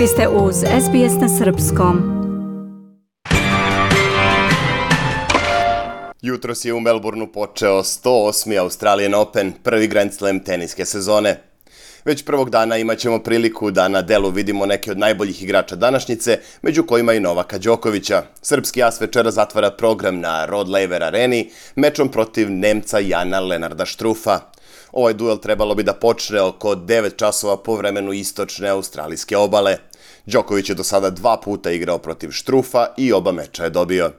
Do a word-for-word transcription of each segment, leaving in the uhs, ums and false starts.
Vi ste uz S B S na srpskom. Jutros je u Melbourneu počeo sto osmi Australian Open, prvi Grand Slam teniske sezone. Već prvog dana imat ćemo priliku da na delu vidimo neke od najboljih igrača današnjice, među kojima i Novaka Đokovića. Srpski as večera zatvara program na Rod Laver Areni mečom protiv Nemca Jana Lenarda Štrufa. Ovaj duel trebalo bi da počne oko devet časova po vremenu istočne australijske obale. Đoković je do sada dva puta igrao protiv Štrufa i oba meča je dobio.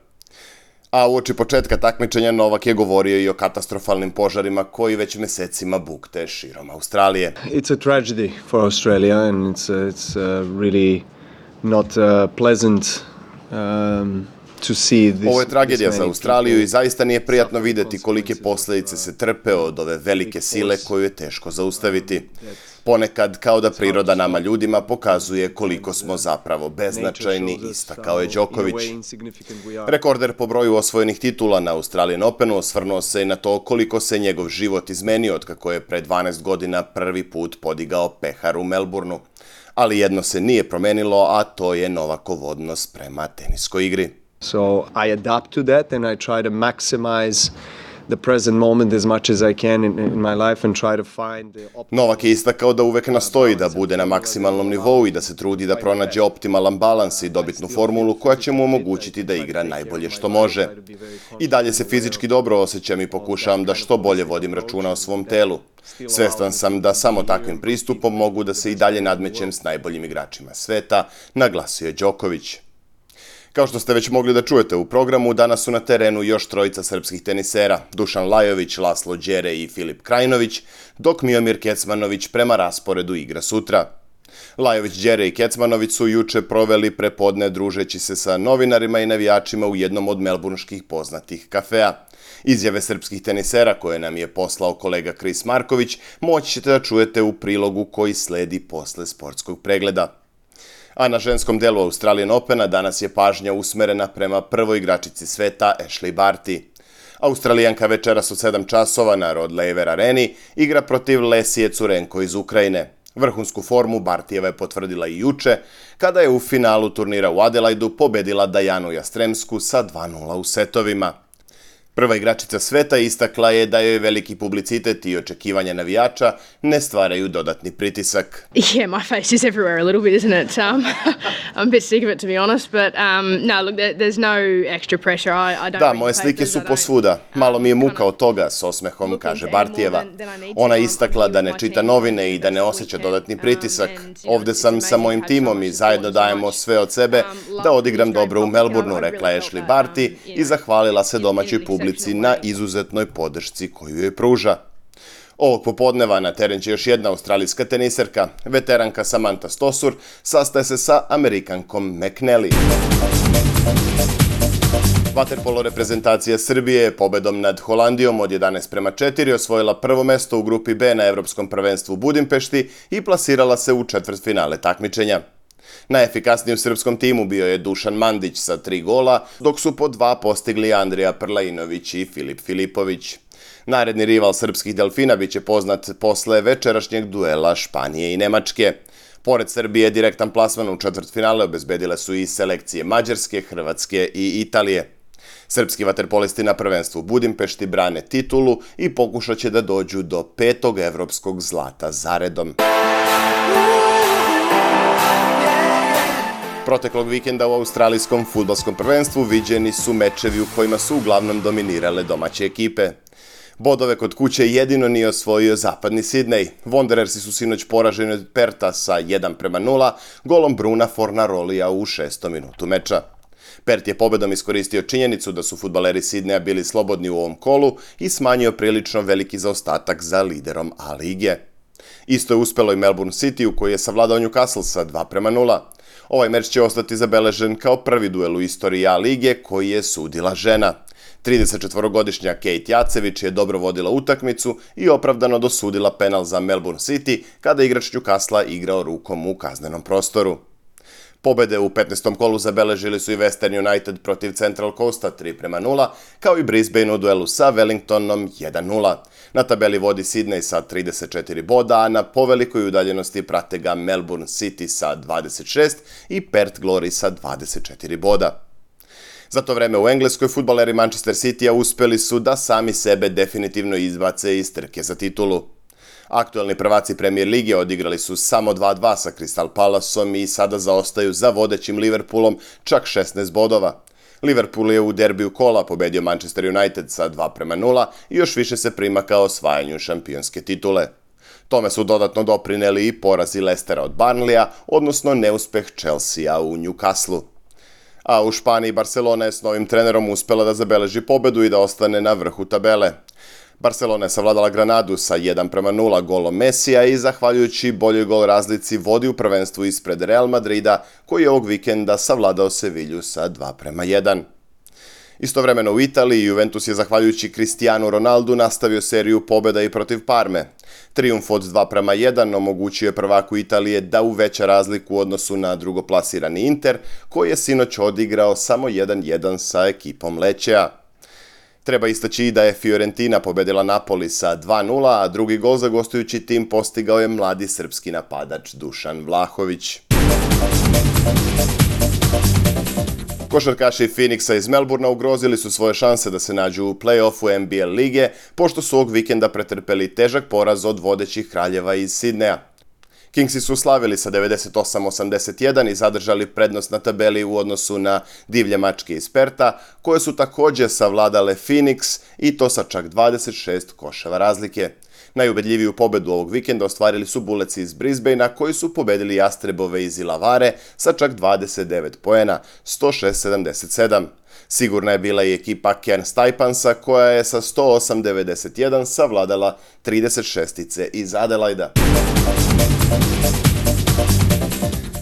A uoči početka takmičenja Novak je govorio i o katastrofalnim požarima koji već mesecima bukte širom Australije. It's a tragedy for Australia and it's uh, it's uh, really not uh, pleasant um, to see this. Ovo je tragedija za Australiju i zaista nije prijatno videti kolike posljedice se trpe od ove velike sile koju je teško zaustaviti. Ponekad, kao da priroda nama ljudima pokazuje koliko smo zapravo beznačajni, istakao je Đoković. Rekorder po broju osvojenih titula na Australian Openu osvrnuo se i na to koliko se njegov život izmenio od kako je pre dvanaest godina prvi put podigao pehar u Melbourneu. Ali jedno se nije promenilo, a to je Novakov odnos prema teniskoj igri. So I adapt to that and I try to maximize the present moment as much as I can in, in my life and try to find the optimal... Novak je istakao da uvek nastoji da bude na maksimalnom nivou i da se trudi da pronađe optimalan balans i dobitnu formulu koja će mu omogućiti da igra najbolje što može. I dalje se fizički dobro osjećam i pokušavam da što bolje vodim računa o svom telu. Svestan sam da samo takvim pristupom mogu da se i dalje nadmećem s najboljim igračima sveta, naglasio je Đoković. Kao što ste već mogli da čujete u programu, danas su na terenu još trojica srpskih tenisera, Dušan Lajović, Laslo Đere i Filip Krajinović, dok Miomir Kecmanović prema rasporedu igra sutra. Lajović, Đere i Kecmanović su juče proveli prepodne družeći se sa novinarima i navijačima u jednom od melburnških poznatih kafea. Izjave srpskih tenisera koje nam je poslao kolega Kris Marković moći ćete da čujete u prilogu koji sledi posle sportskog pregleda. A na ženskom delu Australian Opena danas je pažnja usmerena prema prvoj igračici sveta Ashleigh Barty. Australijanka večeras od sedam časova na Rod Laver Areni igra protiv Lesije Curenko iz Ukrajine. Vrhunsku formu Bartijeva je potvrdila i juče, kada je u finalu turnira u Adelaidu pobedila Dajanu Jastremsku sa dva nula u setovima. Prva igračica sveta istakla je da joj veliki publicitet i očekivanja navijača ne stvaraju dodatni pritisak. Yeah, my face is everywhere a little bit, isn't it? Um, I'm a bit sick of it, to be honest, but um, no, look, there, there's no extra pressure. I, I don't da, moje slike su posvuda. Malo mi je muka od toga, s osmehom, kaže Bartijeva. Ona je istakla da ne čita novine i da ne osjeća dodatni pritisak. Ovde sam sa mojim timom i zajedno dajemo sve od sebe da odigram dobro u Melbourneu, rekla je Ashleigh Barty i zahvalila se domaćoj publici na izuzetnoj podršci koju joj pruža. Ovog popodneva na teren će još jedna australijska teniserka, veteranka Samantha Stosur, sastaje se sa Amerikankom McNally. Vaterpolo reprezentacija Srbije je pobedom nad Holandijom od jedanaest prema četiri osvojila prvo mesto u grupi B na Evropskom prvenstvu u Budimpešti i plasirala se u četvrtfinale takmičenja. Najefikasniji u srpskom timu bio je Dušan Mandić sa tri gola, dok su po dva postigli Andrija Prlainović i Filip Filipović. Naredni rival srpskih delfina biće poznat posle večerašnjeg duela Španije i Nemačke. Pored Srbije, direktan plasman u četvrtfinale obezbedile su i selekcije Mađarske, Hrvatske i Italije. Srpski vaterpolisti na prvenstvu u Budimpešti brane titulu i pokušat će da dođu do petog evropskog zlata zaredom. Proteklog vikenda u australijskom fudbalskom prvenstvu viđeni su mečevi u kojima su uglavnom dominirale domaće ekipe. Bodove kod kuće jedino nije osvojio zapadni Sidney. Wanderersi su sinoć poraženi od Perta sa jedan prema nula, golom Bruna Fornarolija u šestom minutu meča. Pert je pobedom iskoristio činjenicu da su fudbaleri Sidneja bili slobodni u ovom kolu i smanjio prilično veliki zaostatak za liderom A lige. Isto je uspelo i Melbourne City, u koji je savladao Newcastle sa dva prema nula. Ovaj meč će ostati zabeležen kao prvi duel u istoriji A lige koji je sudila žena. tridesetčetvorogodišnja Kate Jacević je dobro vodila utakmicu i opravdano dosudila penal za Melbourne City kada igrač Newcastle igrao rukom u kaznenom prostoru. Pobede u petnaestom kolu zabeležili su i Western United protiv Central Coasta tri prema nula, kao i Brisbane u duelu sa Wellingtonom jedan nula. Na tabeli vodi Sydney sa trideset četiri boda, a na povelikoj udaljenosti prate ga Melbourne City sa dvadeset šest i Perth Glory sa dvadeset četiri boda. Za to vreme u Engleskoj fudbaleri Manchester City-a uspeli su da sami sebe definitivno izbace iz trke za titulu. Aktuelni prvaci Premier lige odigrali su samo dva dva sa Crystal Palaceom i sada zaostaju za vodećim Liverpoolom čak šesnaest bodova. Liverpool je u derbiju kola pobedio Manchester United sa dva prema nula i još više se prima ka osvajanju šampionske titule. Tome su dodatno doprineli i porazi Leicestera od Burnleya, odnosno neuspeh Chelsea u Newcastle. A u Španiji Barcelona je s novim trenerom uspela da zabeleži pobedu i da ostane na vrhu tabele. Barcelona je savladala Granadu sa jedan prema nula golom Mesija i zahvaljujući boljoj gol razlici vodi u prvenstvu ispred Real Madrida, koji je ovog vikenda savladao Sevilju sa dva prema jedan. Istovremeno u Italiji Juventus je zahvaljujući Cristiano Ronaldu nastavio seriju pobjeda i protiv Parme. Trijumf od dva prema jedan omogućio je prvaku Italije da uveća razliku u odnosu na drugoplasirani Inter, koji je sinoć odigrao samo jedan jedan sa ekipom Lecea. Treba istaći i da je Fiorentina pobedila Napoli sa dva nula, a drugi gol za gostujući tim postigao je mladi srpski napadač Dušan Vlahović. Košarkaši Phoenixa iz Melbournea ugrozili su svoje šanse da se nađu u play-offu N B L lige, pošto su ovog vikenda pretrpeli težak poraz od vodećih kraljeva iz Sidneja. Kingsi su slavili sa devedeset osam osamdeset jedan i zadržali prednost na tabeli u odnosu na divlje mačke iz Perta, koje su također savladale Phoenix i to sa čak dvadeset šest koševa razlike. Najubedljiviju pobedu ovog vikenda ostvarili su Bullets iz Brisbanea, koji su pobedili Jastrebove iz Ilavare sa čak dvadeset devet poena, sto šest sedamdeset sedam. Sigurna je bila i ekipa Cairns Taipansa, koja je sa sto osam devedeset jedan savladala trideset šestice iz Adelaida.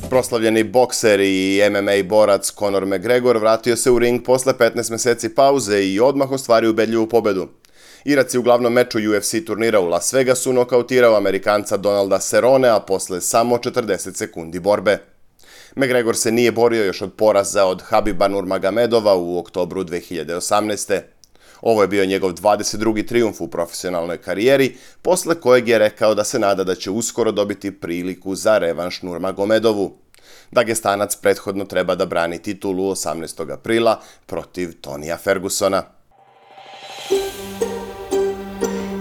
Proslavljeni bokser i M M A borac Conor McGregor vratio se u ring posle petnaest meseci pauze i odmah ostvario ubedljivu pobedu. Irac je u glavnom meču U F C turnira u Las Vegasu nokautirao Amerikanca Donalda Cerronea posle samo četrdeset sekundi borbe. McGregor se nije borio još od poraza od Habiba Nurmagomedova u oktobru dve hiljade osamnaeste. Ovo je bio njegov dvadeset drugi trijumf u profesionalnoj karijeri, posle kojeg je rekao da se nada da će uskoro dobiti priliku za revanš Nurmagomedovu. Dagestanac prethodno treba da brani titulu osamnaestog aprila protiv Tonija Fergusona.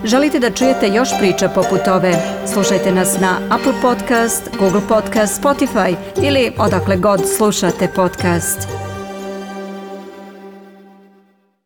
Želite da čujete još priča poput ove? Slušajte nas na Apple Podcast, Google Podcast, Spotify ili odakle god slušate podcast.